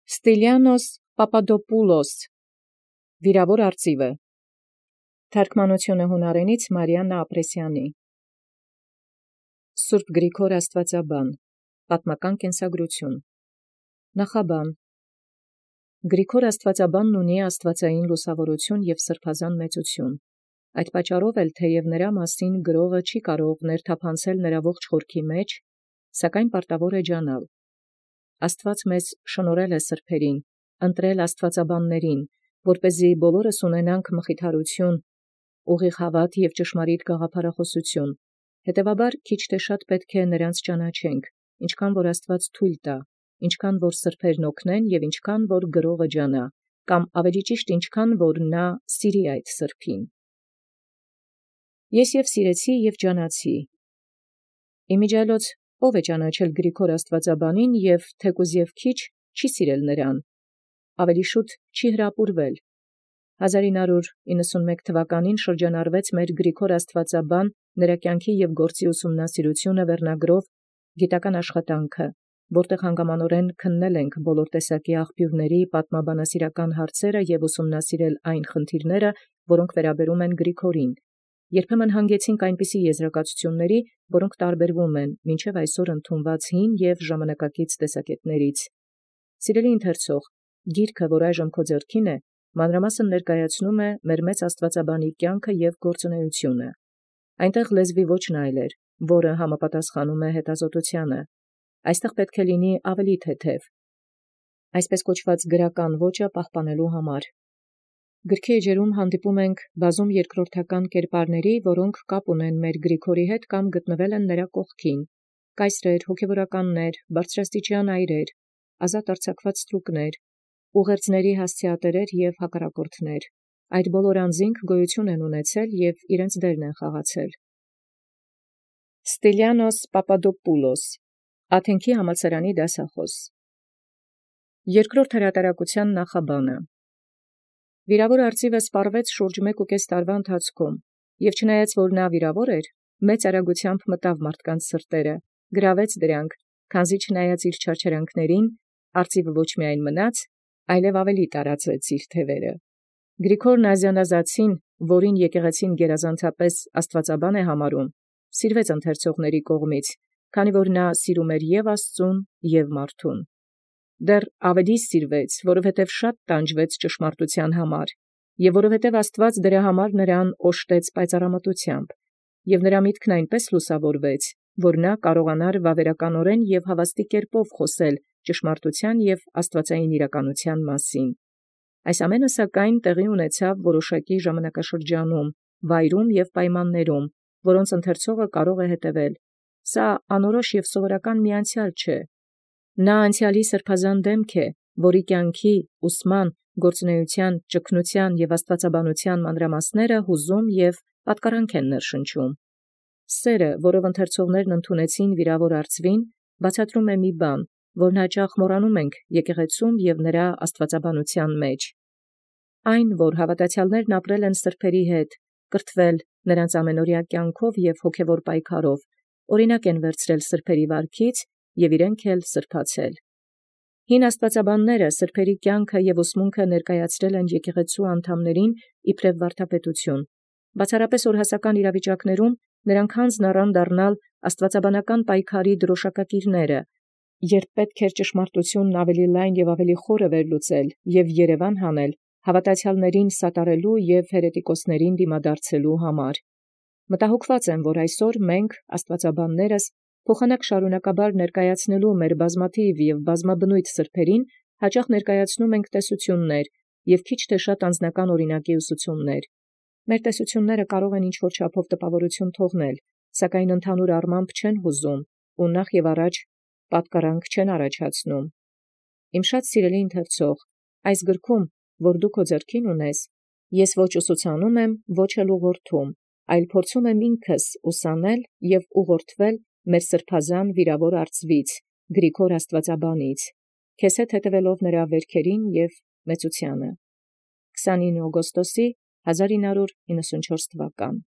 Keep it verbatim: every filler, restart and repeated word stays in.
Ստիլիանոս Պապադոպուլոս, վիրավոր արծիվը, թարգմանությունը հունարենից Մարիաննա Ապրեսյանի։ Սուրբ Գրիգոր Աստվածաբան, պատմական կենսագրություն։ Նախաբան. Գրիգոր Աստվածաբանն ունի աստվածային լուսավորություն և սրբազան մեծություն։ Այդ պատճառով էլ թեև նրա մասին գրողը չի կարող ներթափանցել նրա ողջ խորքի մեջ, սակայն պարտավոր է ջանալ։ Աստված մեզ շնորհել է սրբերին, ընտրել աստվածաբաններին, որպեսզի բոլորս ունենանք մխիթարություն, ուղիղ հավատ և ճշմարիտ գաղափարախոսություն։ Հետևաբար քիչ թե շատ պետք է նրանց ճանաչենք, ինչքան որ Աստված թույլ տա, ինչքան որ սրբերն օգնեն և ինչքան որ գրողը ջանա, կամ ավելի ճիշտ ինչքան որ նա սիրի այդ սրբին։ Ես և սիրեցի և ջանացի։ Իմիջիայլոց ով է ճանաչել Գրիգոր Աստվածաբանին և թեկուզ և քիչ չի սիրել նրան, ավելի շուտ չի հրապուրվել։ հազար ինը հարյուր իննսունմեկ թվականին շրջանառվեց մեր Գրիգոր Աստվածաբան նրա կյանքի և գործի ուսումնասիրությունը վերնագրով գիտական աշխատանքը, որտեղ հանգամանորեն քննել ենք բոլոր տեսակի աղբյուրների պատմաբանասիրական հարցերը և ուսումնասիրել այն խնդիրները, որոնք վերաբերում են Գրիգորին։ Երբեմն հանգեցինք այնպիսի եզրակացությունների, որոնք տարբերվում են մինչև այսօր ընդունված հին և ժամանակակից տեսակետներից։ Սիրելի ընթերցող, գիրքը, որ այժմ քո ձեռքին է, մանրամասն ներկայացնում է մեր մեծ Աստվածաբանի կյանքը և գործունեությունը։ Այնտեղ լեզվի ոճն այլ էր, որը համապատասխանում է հետազոտությանը։ Այստեղ պետք է լինի ավելի թեթև, այսպես կոչված գրական ոճը պահպանելու համար։ Գրքի էջերում հանդիպում ենք բազում երկրորդական կերպարների, որոնք կապ ունեն մեր Գրիգորի հետ կամ գտնվել են նրա կողքին. կայսրեր, հոգևորականներ, բարձրաստիճան այրեր, ազատ արձակված ստրուկներ, ուղերձների հասցեատերեր և հակառակորդներ։ Այդ բոլոր անձինք գոյություն են ունեցել և իրենց դերն են խաղացել։ Ստիլիանոս Պապադոպուլոս, Աթենքի համալսարանի դասախոս։ Երկրորդ հրատարակության նախաբանը։ Վիրավոր արծիվը սպառվեց շուրջ մեկ ու կես տարվա ընթացքում, և չնայած որ նա վիրավոր էր, մեծ արագությամբ մտավ մարդկանց սրտերը, գրավեց դրանք, քանզի չնայած իր չարչարանքներին, արծիվը ոչ միայն մնաց, այլև ավելի տարածեց իր թևերը։ Գրիգոր Նազանազացին, որին եկեղեցին գերազանցապես աստվածաբան է համարում, սիրվեց ընթերցողների կողմից, քանի որ նա սիրում էր և Աստծուն, և մարդուն։ Դեռ ավելի սիրվեց, որովհետև շատ տանջվեց ճշմարտության համար, և որովհետև Աստված դրա համար նրան օժտեց պայծառամտությամբ, և նրա միտքն այնպես լուսավորվեց, որ նա կարողանար վավերականորեն և հավաստի կերպով խոսել ճշմարտության և աստվածային իրականության մասին։ Այս ամենը սակայն տեղի ունեցավ որոշակի ժամանակաշրջանում, վայրում և պայմաններում, որոնց ընթերցողը կարող է հետևել։ Սա անորոշ և սովորական մի անցյալ չէ։ Նա անցյալի սրբազան դեմք է, որի կյանքի, ուսման, գործունեության, ճգնության և աստվածաբանության մանրամասները հուզում և պատկառանք են ներշնչում։ Սերը, որով ընթերցողներն ընդունեցին վիրավոր արծվին, բացատրում է մի բան, որն հաճախ մոռանում ենք եկեղեցում և նրա աստվածաբանության մեջ։ Այն, որ հավատացյալներն ապրել են սրբերի հետ, կրթվել նրանց ամենօրյա կյանքով և հոգևոր պայքարով, օրինակ են վերցրել սրբերի վարքից և իրենք էլ սրբացել։ Հին աստվածաբանները սրբերի կյանքը և ուսմունքը ներկայացրել են եկեղեցու անդամներին իբրև վարդապետություն։ Բացառապես օրհասական իրավիճակներում նրանք հանձն առան դառնալ աստվածաբանական պայքարի դրոշակակիրները, երբ պետք էր ճշմարտությունն ավելի լայն և ավելի խորը վերլուծել և երևան հանել հավատացյալներին սատարելու և հերետիկոսներին դիմադարձելու համար։ Մտահոգված եմ, որ այսօր մենք, աստվածաբաններս, փոխանակ շարունակաբար ներկայացնելու մեր բազմաթիվ և բազմաբնույթ սրբերին, հաճախ ներկայացնում ենք տեսություններ և քիչ թե շատ անձնական օրինակի ուսուցումներ։ Մեր տեսությունները կարող են ինչ-որ չափով տպավորություն թողնել, սակայն ընդհանուր առմամբ չեն հուզում ու նախ և առաջ պատկառանք չեն առաջացնում։ Իմ շատ սիրելի ընթերցող, այս գրքում, որ դու քո ձեռքին ունես, ես ոչ ուսուցանում եմ, ոչ էլ ուղղորդում, այլ փորձում եմ ինքս ուսանել և ուղղորդվել մեր սրբազան վիրավոր արծվից, Գրիգոր Աստվածաբանից, քեզ հետ հետևելով նրա վերքերին և մեծությանը։ քսանինը օգոստոսի հազար ինը հարյուր իննսունչորս թվական։